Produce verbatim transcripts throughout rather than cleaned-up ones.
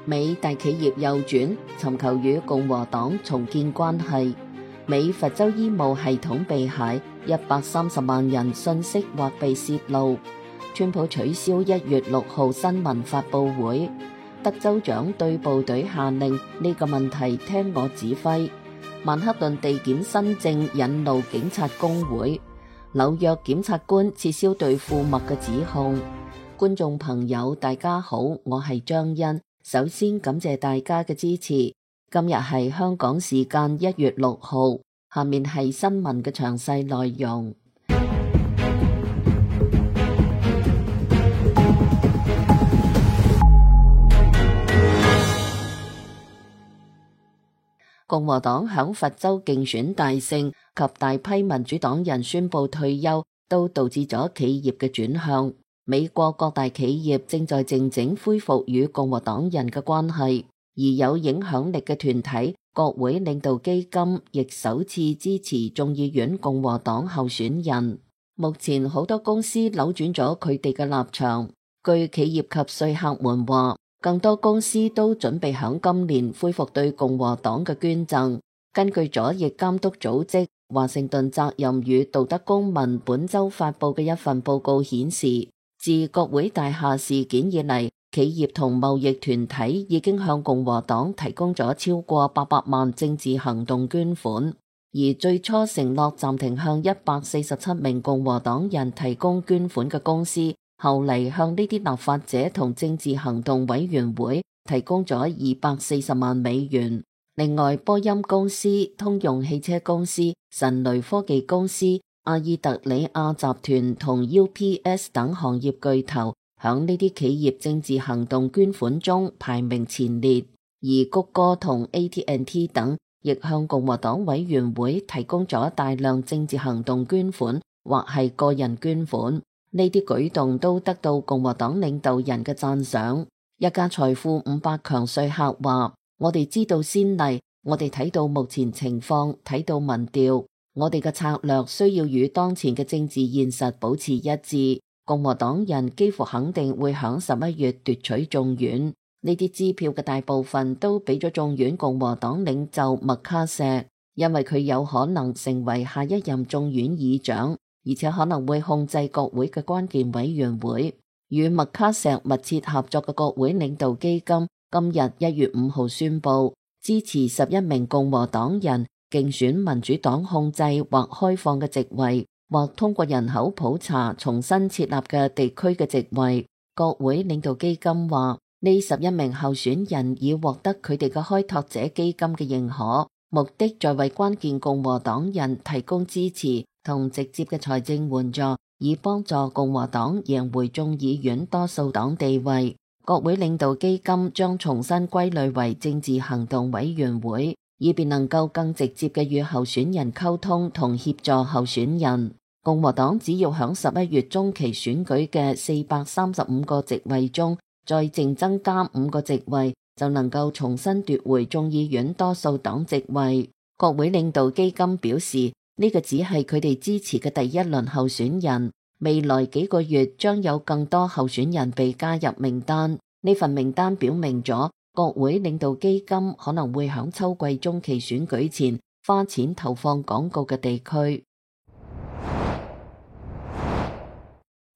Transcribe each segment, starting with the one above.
美大企業右轉，尋求與共和黨重建關係。美佛州醫務系統被駭，一百三十萬人信息或被洩露。川普取消一月六號新聞發佈會。德州長對部隊下令，呢個問題聽我指揮。曼克頓地檢新政引怒警察工會。紐約檢察官撤銷對庫麥嘅指控。觀眾朋友大家好，我係張欣。首先感謝大家嘅支持。今日係香港時間一月六號，下面係新聞嘅詳細內容。共和黨響佛州競選大勝及大批民主黨人宣布退休，都導致咗企業嘅轉向。美國各大企業正在靜靜恢復與共和黨人嘅關係，而有影響力嘅團體國會領導基金亦首次支持眾議院共和黨候選人。目前好多公司扭轉咗佢哋嘅立場，據企業及說客們話，更多公司都準備響今年恢復對共和黨嘅捐贈。根據左翼監督組織華盛頓責任與道德公民本周發佈嘅一份報告顯示，自國會大廈事件以嚟，企業同貿易團體已經向共和黨提供咗超過八百萬政治行動捐款，而最初承諾暫停向一百四十七名共和黨人提供捐款嘅公司，後嚟向呢啲立法者同政治行動委員會提供咗二百四十萬美元。另外，波音公司、通用汽車公司、神雷科技公司、阿爾特里亞集團同 U P S 等行業巨頭響呢啲企業政治行動捐款中排名前列，而谷歌同 A T and T 等亦向共和黨委員會提供咗大量政治行動捐款或係個人捐款。呢啲舉動都得到共和黨領導人嘅讚賞。一家財富五百強說客話：我哋知道先例，我哋睇到目前情況，睇到民調。我哋嘅策略需要與當前嘅政治現實保持一致。共和黨人幾乎肯定會響十一月奪取眾院。呢啲支票嘅大部分都俾咗眾院共和黨領袖麥卡錫，因為佢有可能成為下一任眾院議長，而且可能會控制國會嘅關鍵委員會。與麥卡錫密切合作嘅國會領導基金今日一月五號宣布支持十一名共和黨人競選民主黨控制或開放嘅席位，或通過人口普查重新設立嘅地區嘅席位。國會領導基金話，呢十一名候選人已獲得佢哋嘅開拓者基金嘅認可，目的在為關鍵共和黨人提供支持同直接嘅財政援助，以幫助共和黨贏回眾議院多數黨地位。國會領導基金將重新歸類為政治行動委員會，以便能夠更直接嘅與候選人溝通同協助候選人。共和黨只要響十一月中期選舉嘅四百三十五個席位中，再淨增加五個席位，就能夠重新奪回眾議院多數黨席位。國會領導基金表示，呢個只係佢哋支持嘅第一輪候選人，未來幾個月將有更多候選人被加入名單。呢份名單表明咗國會領導基金可能會響秋季中期選舉前花錢投放廣告嘅地區。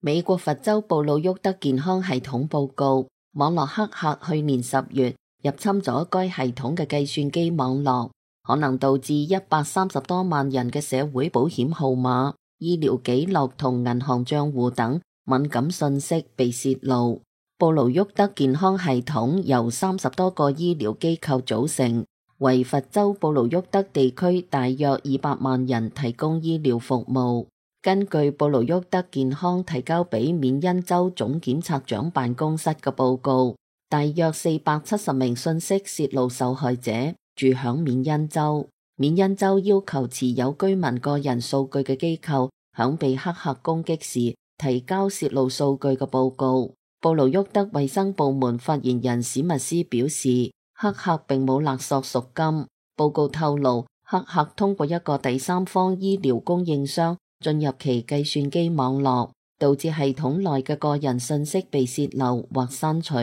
美國佛州布魯沃德健康系統報告，網絡黑客去年十月入侵咗該系統嘅計算機網絡，可能導致一百三十多萬人嘅社會保險號碼、醫療記錄同銀行賬戶等敏感信息被洩露。布魯沃德健康系統由三十多個醫療機構組成，為佛州布魯沃德地區大約二百萬人提供醫療服務。根據布魯沃德健康提交俾緬因州總檢察長辦公室嘅報告，大約四百七十名信息洩露受害者住響緬因州。緬因州要求持有居民個人數據嘅機構響被黑客攻擊時提交洩露數據嘅報告。布魯沃德衛生部門發言人史密斯表示，黑客並冇勒索贖金。報告透露，黑客通過一個第三方醫療供應商進入其計算機網絡，導致系統內嘅個人信息被洩漏或刪除。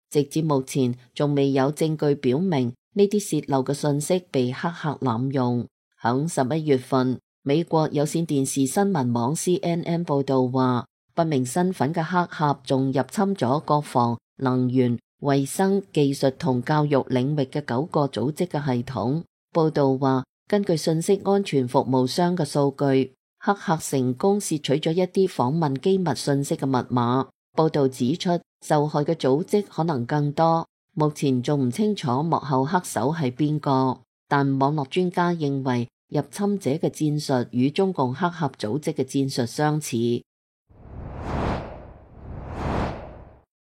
直至目前仲未有證據表明呢啲洩漏嘅信息被黑客濫用。響十一月份，美國有線電視新聞網 C N N 報道話，不明身份嘅黑客仲入侵咗國防、能源、衛生、技術同教育領域嘅九個組織嘅系統。報道話，根據信息安全服務商嘅數據，黑客成功竊取咗一啲訪問機密信息嘅密碼。報道指出，受害嘅組織可能更多，目前仲唔清楚幕後黑手係邊個。但網絡專家認為，入侵者嘅戰術與中共黑客組織嘅戰術相似。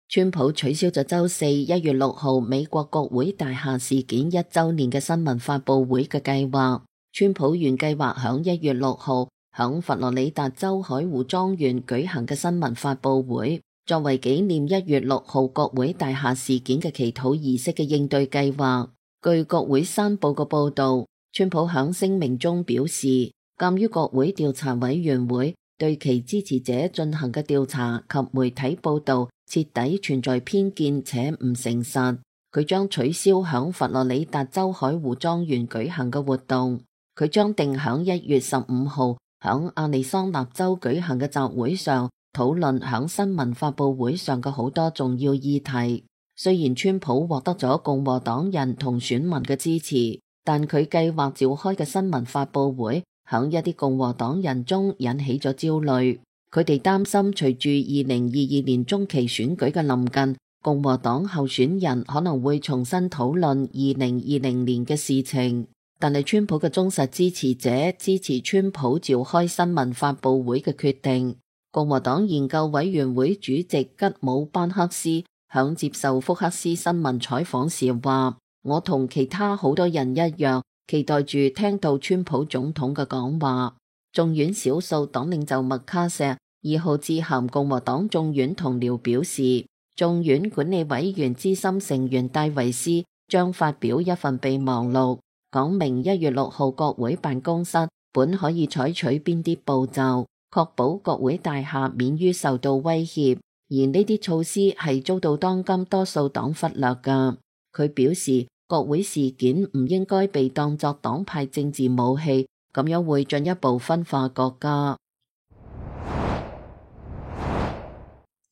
川普取消咗周四一月六號美國國會大廈事件一週年嘅新聞發佈會嘅計劃。川普原計劃響一月六號響佛羅里達州海湖莊園舉行嘅新聞發佈會，作為紀念一月六號國會大廈事件嘅祈禱儀式嘅應對計劃。據國會山報嘅報道，川普響聲明中表示，鑒於國會調查委員會對其支持者進行嘅調查及媒體報道徹底存在偏見且唔誠實，佢將取消響佛羅里達州海湖莊園舉行嘅活動。佢將定響一月十五號響亞利桑那州舉行嘅集會上討論響新聞發佈會上嘅好多重要議題。雖然川普獲得咗共和黨人同選民嘅支持，但佢計劃召開嘅新聞發佈會響一啲共和黨人中引起咗焦慮。佢哋擔心隨住二零二二年中期選舉嘅臨近，共和黨候選人可能會重新討論二零二零年嘅事情。但係川普嘅忠實支持者支持川普召開新聞發佈會嘅決定。共和黨研究委員會主席吉姆班克斯響接受福克斯新聞採訪時話，我同其他好多人一樣，期待住聽到川普總統嘅講話。眾院少數黨領袖麥卡錫二號致函共和黨眾院同僚表示，眾院管理委員資深成員戴維斯將發表一份備忘錄，講明一月六號國會辦公室本可以採取邊啲步驟，確保國會大廈免於受到威脅，而呢啲措施係遭到當今多數黨忽略㗎。佢表示，國會事件唔應該被當作黨派政治武器，咁樣會進一步分化國家。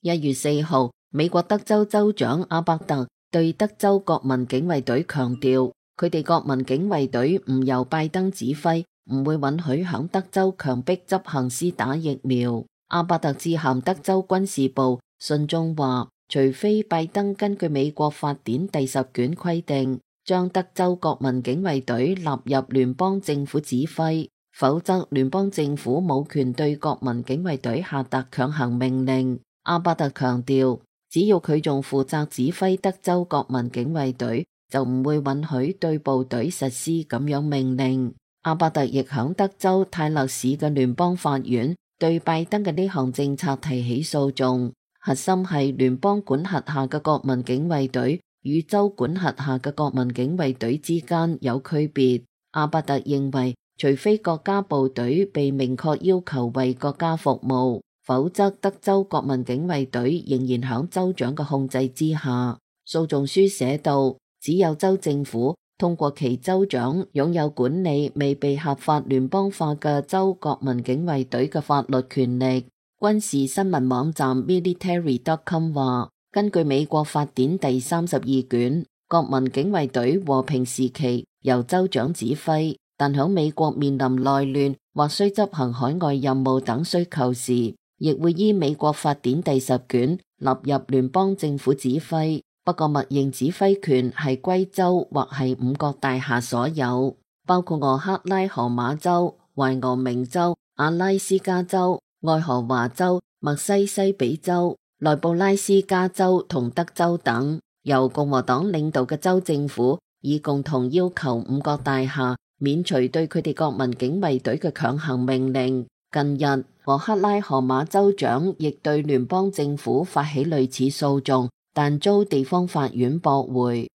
一月四號，美國德州州長阿伯特對德州國民警衛隊強調，佢哋國民警衛隊唔由拜登指揮，唔會允許響德州強迫執行施打疫苗。阿伯特致函德州軍事部，信中話，除非拜登根據美國法典第十卷規定，將德州國民警衛隊納入聯邦政府指揮，否則聯邦政府冇權對國民警衛隊下達強行命令。阿伯特強調，只要佢仲負責指揮德州國民警衛隊，就唔會允許對部隊實施咁樣命令。阿伯特亦響德州泰勒市嘅聯邦法院對拜登嘅呢項政策提起訴訟，核心係聯邦管轄下嘅國民警衛隊與州管轄下嘅國民警衛隊之間有區別。阿伯特認為，除非國家部隊被明確要求為國家服務，否則德州國民警衛隊仍然響州長嘅控制之下。訴訟書寫道，只有州政府通過其州長擁有管理未被合法聯邦化嘅州國民警衛隊嘅法律權力。軍事新聞網站 military dot com 話，根據美國法典第三十二卷，國民警衛隊和平時期由州長指揮，但響美國面臨內亂或需執行海外任務等需求時，亦會依美國法典第十卷納入聯邦政府指揮。不過默認指揮權係歸州或係五角大廈所有，包括俄克拉荷馬州、懷俄明州、阿拉斯加州、愛荷華州、密西西比州、內布拉斯加州同德州等，由共和黨領導嘅州政府以共同要求五角大廈免除對佢哋國民警衛隊嘅強行命令。近日，俄克拉荷馬州長亦對聯邦政府發起類似訴訟，但遭地方法院駁回。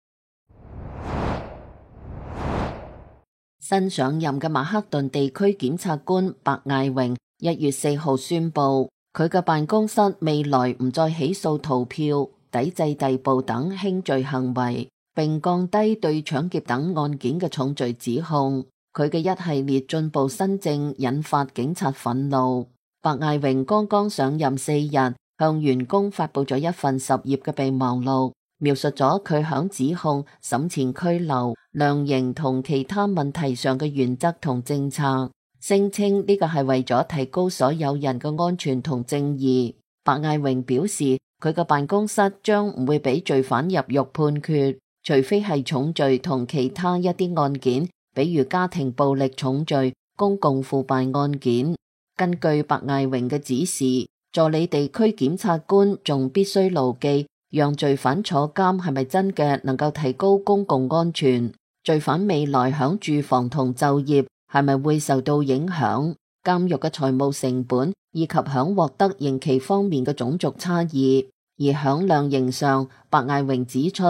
新上任嘅曼克頓地區檢察官白艾榮一月四號宣布，佢嘅辦公室未來唔再起訴逃票、抵制逮捕等輕罪行為，並降低對搶劫等案件嘅重罪指控。佢嘅一系列進步新政引發警察憤怒。白艾榮剛剛上任四日，向員工發佈咗一份十頁嘅備忘錄，描述咗佢響指控、審前拘留、量刑同其他問題上嘅原則同政策，聲稱呢個係為咗提高所有人嘅安全同正義。白艾榮表示，佢嘅辦公室將唔會俾罪犯入獄判決，除非係重罪同其他一啲案件，比如家庭暴力重罪、公共腐敗案件。根據白艾榮嘅指示，助理地區檢察官仲必須牢記，讓罪犯坐監係咪真嘅能夠提高公共安全？罪犯未來響住房同就業係咪會受到影響？監獄嘅財務成本以及響獲得刑期方面嘅種族差異。而響量刑上，白艾榮指出，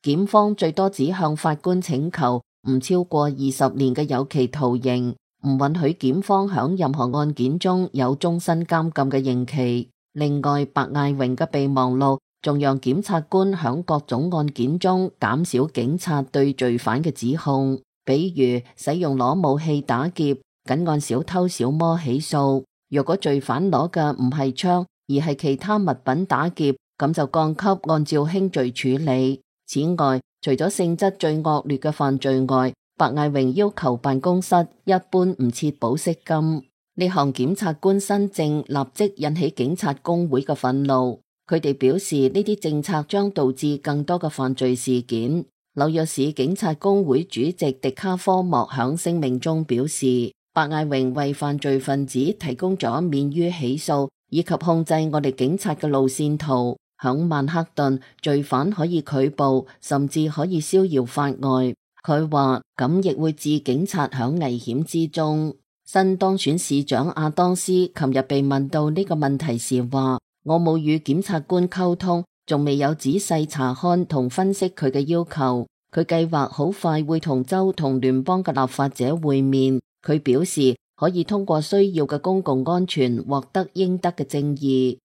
檢方最多只向法官請求唔超過二十年嘅有期徒刑，唔允許檢方響任何案件中有終身監禁嘅刑期。另外，白艾榮嘅備忘錄仲讓檢察官響各種案件中減少警察對罪犯嘅指控，比如使用攞武器打劫，僅按小偷小摸起訴；若果罪犯攞嘅唔係槍，而係其他物品打劫，咁就降級按照輕罪處理。此外，除咗性質最惡劣嘅犯罪外，白艾榮要求辦公室一般唔設保釋金。呢項檢察官新政立即引起警察工會嘅憤怒，佢哋表示呢啲政策將導致更多嘅犯罪事件。紐約市警察工會主席迪卡科莫響聲明中表示，白艾榮為犯罪分子提供咗免於起訴以及控制我哋警察嘅路線圖。響曼克頓，罪犯可以拒捕，甚至可以逍遙法外。佢話咁亦會置警察響危險之中。新當選市長阿當斯琴日被問到呢個問題時話，我冇與檢察官溝通，仲未有仔細查看同分析佢嘅要求。佢計劃好快會同州同聯邦嘅立法者會面。佢表示可以通過需要嘅公共安全獲得應得嘅正義。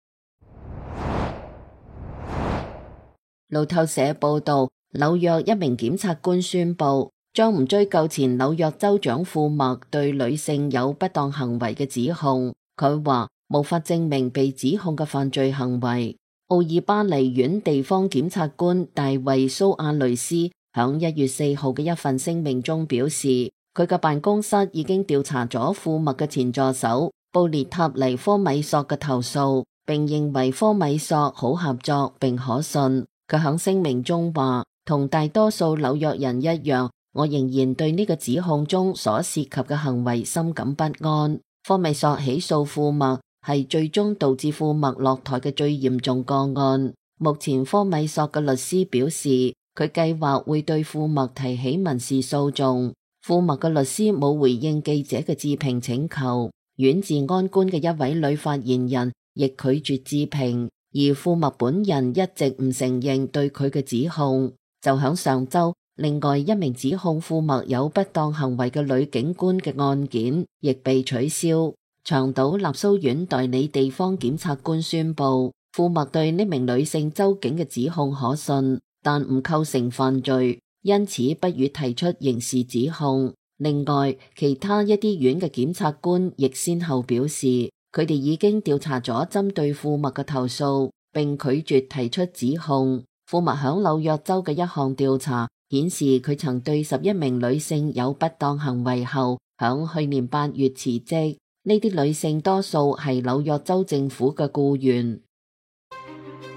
路透社報道，紐約一名檢察官宣布將唔追究前紐約州長庫默對女性有不當行為嘅指控。佢話無法證明被指控嘅犯罪行為。奧爾巴尼縣地方檢察官大衛蘇亞雷斯響一月四號嘅一份聲明中表示，佢嘅辦公室已經調查咗庫默嘅前助手布列塔尼科米索嘅投訴，並認為科米索好合作並可信。佢響聲明中話，同大多數紐約人一樣，我仍然對呢個指控中所涉及嘅行為深感不安。科米索起訴庫默係最終導致庫默落台嘅最嚴重個案。目前科米索嘅律師表示，佢計劃會對庫默提起民事訴訟。庫默嘅律師冇回應記者嘅置評請求。縣治安官嘅一位女發言人亦拒絕置評。而庫默本人一直唔承認對佢嘅指控。就響上周，另外一名指控庫默有不當行為嘅女警官嘅案件亦被取消。長島納蘇縣代理地方檢察官宣布，庫默對呢名女性州警嘅指控可信，但唔構成犯罪，因此不予提出刑事指控。另外，其他一啲縣嘅檢察官亦先後表示，佢哋已經調查咗針對庫默嘅投訴，並拒絕提出指控。庫默響紐約州嘅一項調查顯示，佢曾對十一名女性有不當行為後，響去年八月辭職。呢啲女性多數係紐約州政府嘅僱員。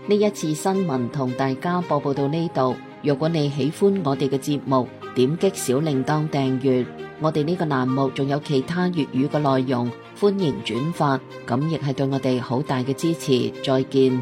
呢一次新聞同大家播報到呢度。如果你喜歡我哋嘅節目，點擊小鈴鐺訂閱。我哋呢個欄目仲有其他粵語嘅內容，歡迎轉發，咁亦係對我哋好大嘅支持。再見。